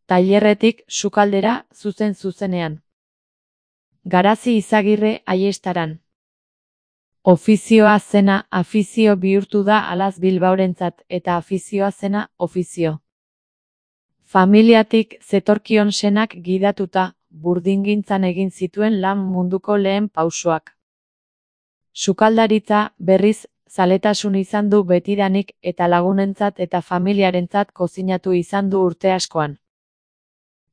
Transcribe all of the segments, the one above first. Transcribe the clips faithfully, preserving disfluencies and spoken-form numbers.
tailerretik sukaldera zuzen zuzenean. Garazi Izagirre Aiestaran. Ofizioa zena afizio bihurtu da alaz Bilbaorentzat eta afizioa zena ofizio. Familiatik zetorkion senak gidatuta, burdingintzan egin zituen lan munduko lehen pausoak. Sukaldaritza, berriz, zaletasun izan du betidanik eta lagunentzat eta familiarentzat kozinatu izan du urte askoan.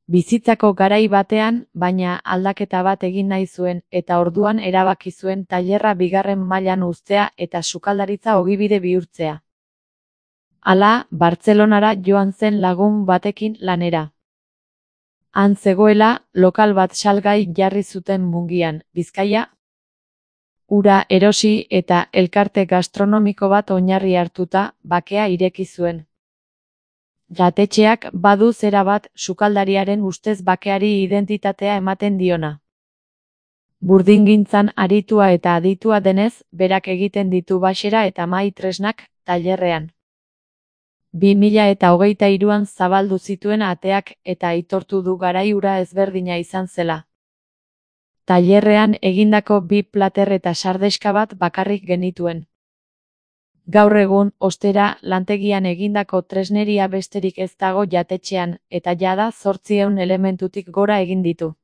Bizitzako garai batean, baina aldaketa bat egin nahi zuen eta orduan erabaki zuen tailerra bigarren mailan uztea eta sukaldaritza ogibide bihurtzea. Hala, Bartzelonara joan zen lagun batekin lanera. Han zegoela, lokal bat salgai jarri zuten Mungian, Bizkaia. Ura erosi eta elkarte gastronomiko bat oinarri hartuta, bakea ireki zuen. Jatetxeak badu zera bat sukaldariaren ustez bakeari identitatea ematen diona. Burdingintzan aritua eta aditua denez, berak egiten ditu baxera eta mahai tresnak tailerrean. bi mila eta hogeita hiruan zabaldu zituen ateak eta aitortu du garai ura ezberdina izan zela. Tailerrean egindako bi plater eta sardeska bat bakarrik genituen. Gaur egun, ostera, lantegian egindako tresneria besterik ez dago jatetxean, eta jada zortziehun elementutik gora egin ditu.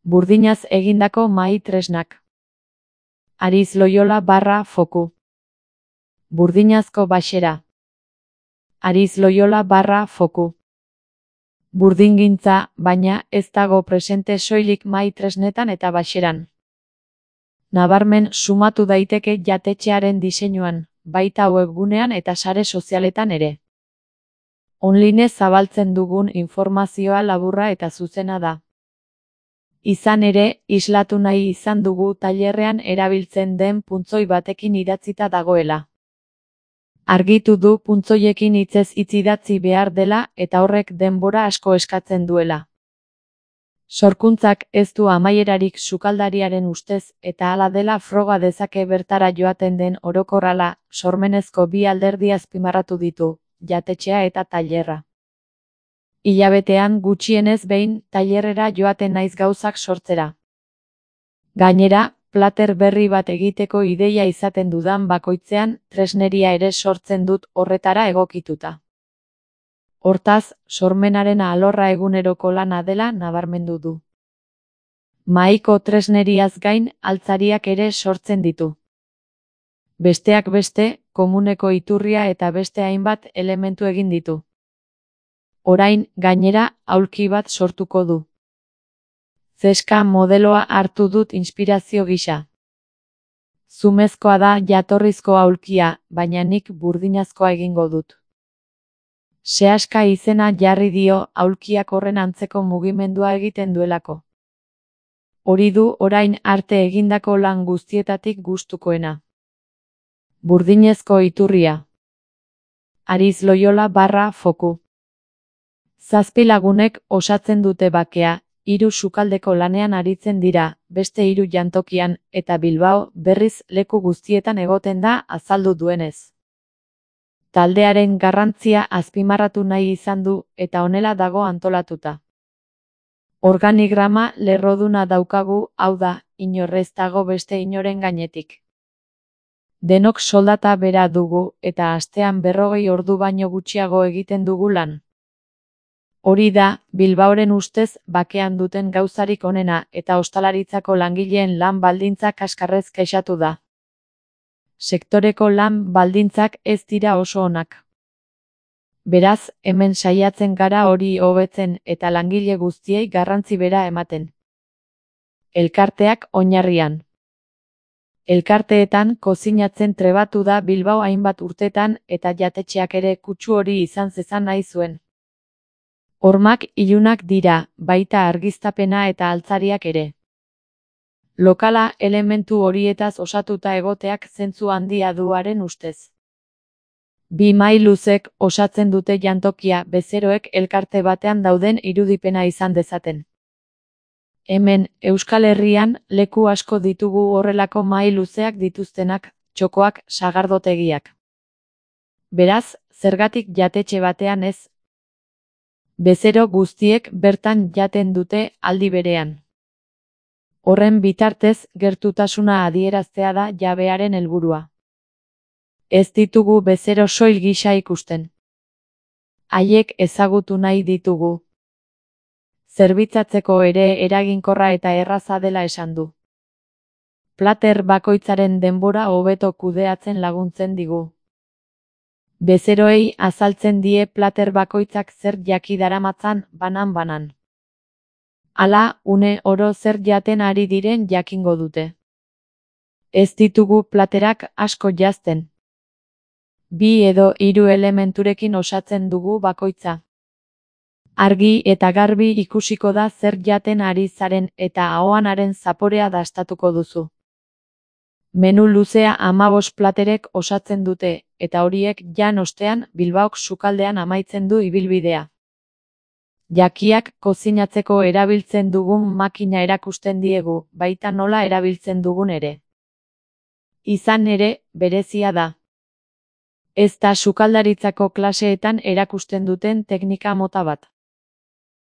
Burdinaz egindako mahai tresnak. Ariz Loyola barra foku. Burdinazko baxera. Ariz Loyola barra foku. Burdingintza, baina ez dago presente soilik mahai tresnetan eta baxeran. Nabarmen sumatu daiteke jatetxearen diseinuan, baita webgunean eta sare sozialetan ere. Online zabaltzen dugun informazioa laburra eta zuzena da. Izan ere, islatu nahi izan dugu tailerrean erabiltzen den puntzoi batekin idatzita dagoela. Argitu du puntzoiekin hitzez hitz idatzi behar dela eta horrek denbora asko eskatzen duela. Sorkuntzak ez du amaierarik sukaldariaren ustez eta hala dela froga dezake bertara joaten den orokorrala, sormenezko bi alderdi azpimarratu ditu, jatetxea eta tailerra. Hilabetean gutxienez behin tailerrera joaten naiz gauzak sortzera. Gainera, plater berri bat egiteko ideia izaten dudan bakoitzean, tresneria ere sortzen dut horretara egokituta. Hortaz, sormenaren alorra eguneroko lana dela nabarmendu du. Mahaiko tresneriaz gain, altzariak ere sortzen ditu. Besteak beste, komuneko iturria eta beste hainbat elementu egin ditu. Orain, gainera, aulki bat sortuko du. Zeska modeloa hartu dut inspirazio gisa. Zumezkoa da jatorrizko aulkia, baina nik burdinazkoa egingo dut. Sehaska izena jarri dio aulkiak horren antzeko mugimendua egiten duelako. Hori du orain arte egindako lan guztietatik gustukoena. Burdinezko iturria. Ariz Loyola barra foku. Zazpi lagunek osatzen dute bakea, hiru sukaldeko lanean aritzen dira, beste hiru jantokian, eta Bilbao, berriz leku guztietan egoten da azaldu duenez. Taldearen garrantzia azpimarratu nahi izan du eta honela dago antolatuta. Organigrama lerroduna daukagu, hau da, inor ez dago beste inoren gainetik. Denok soldata bera dugu eta astean berrogei ordu baino gutxiago egiten dugu lan. Hori da, Bilbaoren ustez bakean duten gauzarik onena eta ostalaritzako langileen lan baldintzak kaskarrez kexatu da. Sektoreko lan baldintzak ez dira oso onak. Beraz, hemen saiatzen gara hori hobetzen eta langile guztiei garrantzi bera ematen. Elkarteak oinarrian. Elkarteetan kozinatzen trebatu da Bilbao hainbat urtetan eta jatetxeak ere kutsu hori izan zezan nahi zuen. Hormak ilunak dira, baita argiztapena eta altzariak ere. Lokala elementu horietaz osatuta egoteak zentzu handia duaren ustez. Bi mahai luzek osatzen dute jantokia bezeroek elkarte batean dauden irudipena izan dezaten. Hemen, Euskal Herrian, leku asko ditugu horrelako mahai luzeak dituztenak, txokoak, sagardotegiak. Beraz, zergatik jatetxe batean ez? Bezero guztiek bertan jaten dute aldi berean. Horren bitartez, gertutasuna adieraztea da jabearen helburua. Ez ditugu bezero soil gisa ikusten. Haiek ezagutu nahi ditugu. Zerbitzatzeko ere eraginkorra eta erraza dela esan du. Plater bakoitzaren denbora hobeto kudeatzen laguntzen digu. Bezeroei azaltzen die plater bakoitzak zer jaki daramatzan banan-banan. Hala, une oro zer jaten ari diren jakingo dute. Ez ditugu platerak asko janzten. Bi edo hiru elementurekin osatzen dugu bakoitza. Argi eta garbi ikusiko da zer jaten ari zaren eta ahoanaren zaporea dastatuko duzu. Menu luzea hamabost platerek osatzen dute, eta horiek jan ostean Bilbaok sukaldean amaitzen du ibilbidea. Jakiak kozinatzeko erabiltzen dugun makina erakusten diegu, baita nola erabiltzen dugun ere. Izan ere, berezia da. Ez da sukaldaritzako klaseetan erakusten duten teknika mota bat.